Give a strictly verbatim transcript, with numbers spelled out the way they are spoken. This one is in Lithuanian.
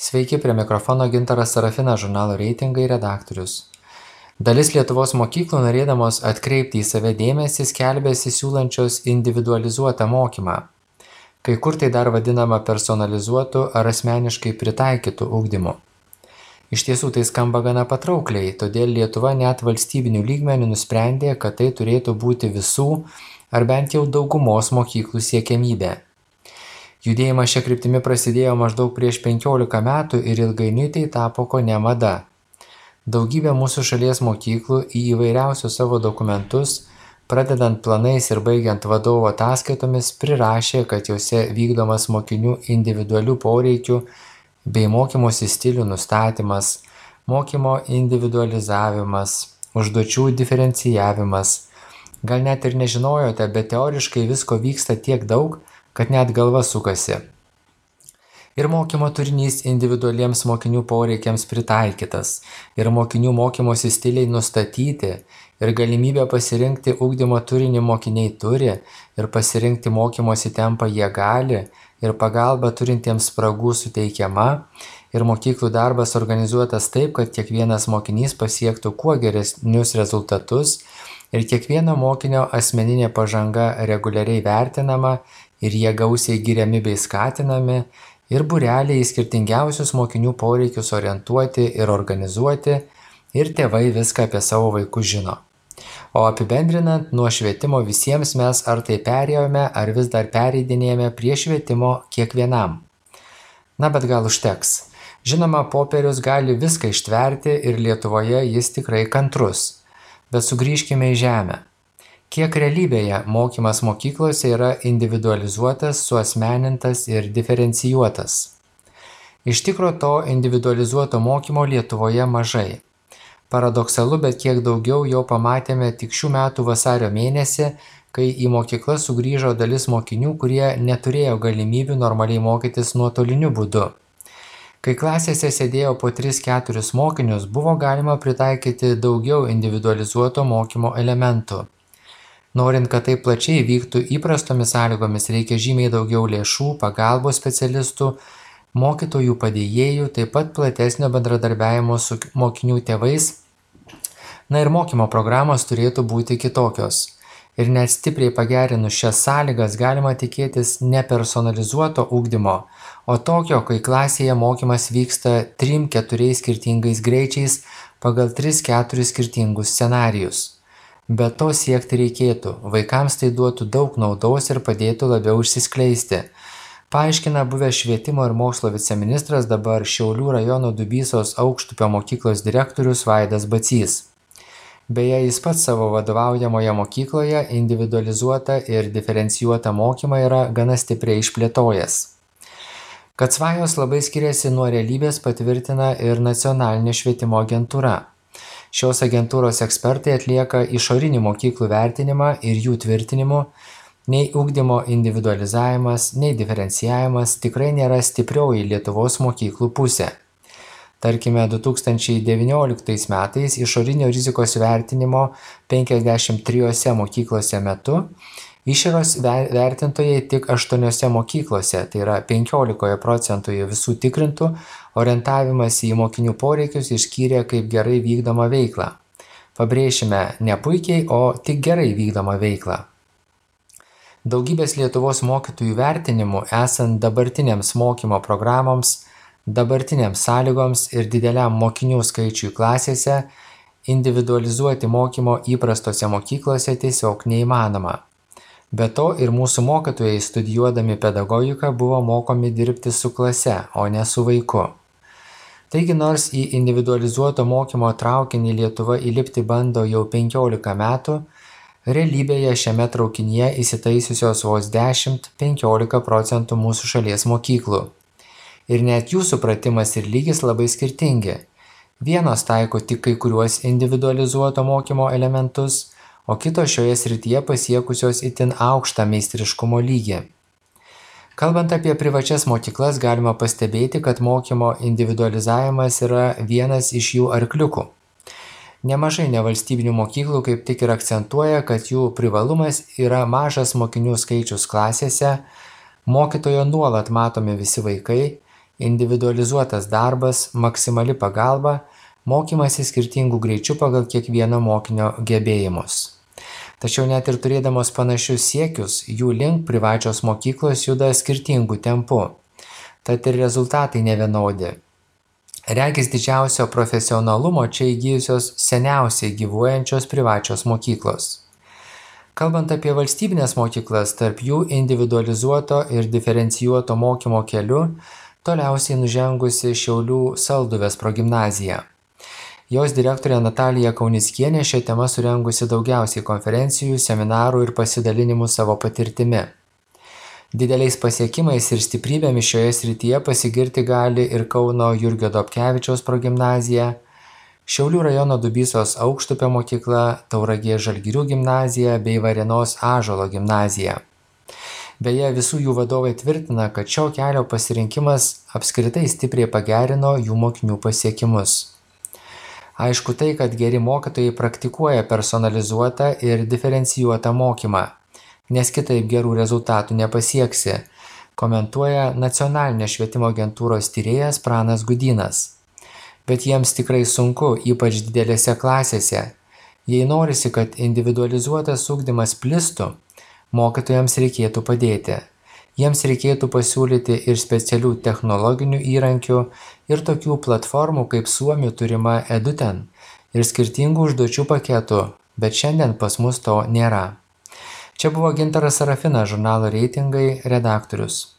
Sveiki, prie mikrofono Gintaras Sarafinas, žurnalo Reitingai redaktorius. Dalis Lietuvos mokyklų, norėdamos atkreipti į save dėmesį, skelbėsi siūlančios individualizuotą mokymą. Kai kur tai dar vadinama personalizuotu ar asmeniškai pritaikytu ugdymu. Iš tiesų tai skamba gana patraukliai, todėl Lietuva net valstybinių lygmenių nusprendė, kad tai turėtų būti visų ar bent jau daugumos mokyklų siekiamybė. Judėjimas šia kryptimi prasidėjo maždaug prieš penkiolika metų ir ilgainiui tai tapo kone mada. Daugybė mūsų šalies mokyklų į įvairiausius savo dokumentus, pradedant planais ir baigiant vadovo ataskaitomis, prirašė, kad juose vykdomas mokinių individualių poreikių bei mokymosi stilių nustatymas, mokymo individualizavimas, užduočių diferencijavimas. Gal net ir nežinojote, bet teoriškai visko vyksta tiek daug, kad net galva sukasi. Ir mokymo turinys individualiems mokinių poreikiams pritaikytas, ir mokinių mokymosi stiliai nustatyti, ir galimybė pasirinkti ugdymo turinį mokiniai turi, ir pasirinkti mokymosi tempą jie gali, ir pagalba turintiems spragų suteikiama, ir mokyklų darbas organizuotas taip, kad kiekvienas mokinys pasiektų kuo geresnius rezultatus, ir kiekvieno mokinio asmeninė pažanga reguliariai vertinama, ir jie gausiai giriami bei skatinami, ir būreliai į skirtingiausius mokinių poreikius orientuoti ir organizuoti, ir tėvai viską apie savo vaikus žino. O apibendrinant, nuo švietimo visiems mes ar tai perėjome, ar vis dar pereidinėjame prie švietimo kiekvienam. Na, bet gal užteks. Žinoma, popierius gali viską ištverti ir Lietuvoje jis tikrai kantrus. Bet sugrįžkime į žemę. Kiek realybėje mokymas mokyklose yra individualizuotas, suasmenintas ir diferencijuotas? Iš tikro to individualizuoto mokymo Lietuvoje mažai. Paradoksalu, bet kiek daugiau jo pamatėme tik šių metų vasario mėnesį, kai į mokyklą sugrįžo dalis mokinių, kurie neturėjo galimybių normaliai mokytis nuotoliniu būdu. Kai klasėse sėdėjo po tris keturis mokinius, buvo galima pritaikyti daugiau individualizuoto mokymo elementų. Norint, kad tai plačiai vyktų įprastomis sąlygomis, reikia žymiai daugiau lėšų, pagalbos specialistų, mokytojų padėjėjų, taip pat platesnio bendradarbiavimo su mokinių tėvais. Na ir mokymo programos turėtų būti kitokios. Ir net stipriai pagerinus šias sąlygas galima tikėtis ne personalizuoto ugdymo, o tokio, kai klasėje mokymas vyksta trim keturiais skirtingais greičiais pagal tris keturis skirtingus scenarijus. Be to siekti reikėtų, vaikams tai duotų daug naudos ir padėtų labiau išsiskleisti, paaiškina buvęs švietimo ir mokslo viceministras, dabar Šiaulių rajono Dubysos Aukštupio mokyklos direktorius Vaidas Bacys. Beje, jis pats savo vadovaujamoje mokykloje individualizuotą ir diferencijuotą mokymą yra gana stipriai išplėtojęs. Kad svajos labai skiriasi nuo realybės, patvirtina ir nacionalinė švietimo agentūra. Šios agentūros ekspertai atlieka išorinį mokyklų vertinimą ir jų tvirtinimu, nei ugdymo individualizavimas, nei diferencijavimas tikrai nėra stiprioji Lietuvos mokyklų pusė. Tarkime, du tūkstančiai devynioliktais metais išorinio rizikos vertinimo penkiasdešimt trijose mokyklose metu išoros vertintojai tik aštuoniose mokyklose, tai yra penkiolikoje procentų visų tikrintų, orientavimąsi į mokinių poreikius išskyrė kaip gerai vykdomą veiklą. Pabrėšime, ne puikiai, o tik gerai vykdomą veiklą. Daugybės Lietuvos mokytojų vertinimų, esant dabartinėms mokymo programoms, dabartinėms sąlygoms ir dideliam mokinių skaičiui klasėse, individualizuoti mokymo įprastose mokyklose tiesiog neįmanoma. Be to ir mūsų mokytojai studijuodami pedagogiką buvo mokomi dirbti su klase, o ne su vaiku. Taigi nors į individualizuoto mokymo traukinį Lietuva įlipti bando jau penkiolika metų, realybėje šiame traukinyje įsitaisiusios vos dešimt penkiolika procentų mūsų šalies mokyklų. Ir net jų supratimas ir lygis labai skirtingi. Vienos taiko tik kai kuriuos individualizuoto mokymo elementus, o kitos šioje srityje pasiekusios itin aukštą meistriškumo lygį. Kalbant apie privačias mokyklas, galima pastebėti, kad mokymo individualizavimas yra vienas iš jų arkliukų. Nemažai nevalstybinių mokyklų kaip tik ir akcentuoja, kad jų privalumas yra mažas mokinių skaičius klasėse, mokytojo nuolat matomi visi vaikai, individualizuotas darbas, maksimali pagalba, mokymasis skirtingų greičių pagal kiekvieno mokinio gebėjimus. Tačiau net ir turėdamos panašius siekius, jų link privačios mokyklos juda skirtingų tempų. Tad ir rezultatai nevienodi. Regis didžiausio profesionalumo čia įgijusios seniausiai gyvuojančios privačios mokyklos. Kalbant apie valstybinės mokyklas, tarp jų individualizuoto ir diferencijuoto mokymo keliu toliausiai nužengusi Šiaulių Salduvės progimnazija. Jos direktorė Natalija Kaunickienė šią temą surengusi daugiausiai konferencijų, seminarų ir pasidalinimų savo patirtimi. Dideliais pasiekimais ir stiprybėmis šioje srityje pasigirti gali ir Kauno Jurgio Dobkevičiaus progimnazija, Šiaulių rajono Dubysos Aukštupio mokykla, Tauragės Žalgirių gimnazija bei Varėnos Ąžuolo gimnazija. Beje, visų jų vadovai tvirtina, kad šio kelio pasirinkimas apskritai stipriai pagerino jų mokinių pasiekimus. Aišku tai, kad geri mokytojai praktikuoja personalizuotą ir diferencijuotą mokymą, nes kitaip gerų rezultatų nepasieksi, komentuoja Nacionalinės švietimo agentūros tyrėjas Pranas Gudynas. Bet jiems tikrai sunku, ypač didelėse klasėse. Jei norisi, kad individualizuotas ugdymas plistų, mokytojams reikėtų padėti. Jiems reikėtų pasiūlyti ir specialių technologinių įrankių, ir tokių platformų kaip Suomių turima Eduten, ir skirtingų užduočių paketų, bet šiandien pas mus to nėra. Čia buvo Gintaras Sarafinas, žurnalo Reitingai redaktorius.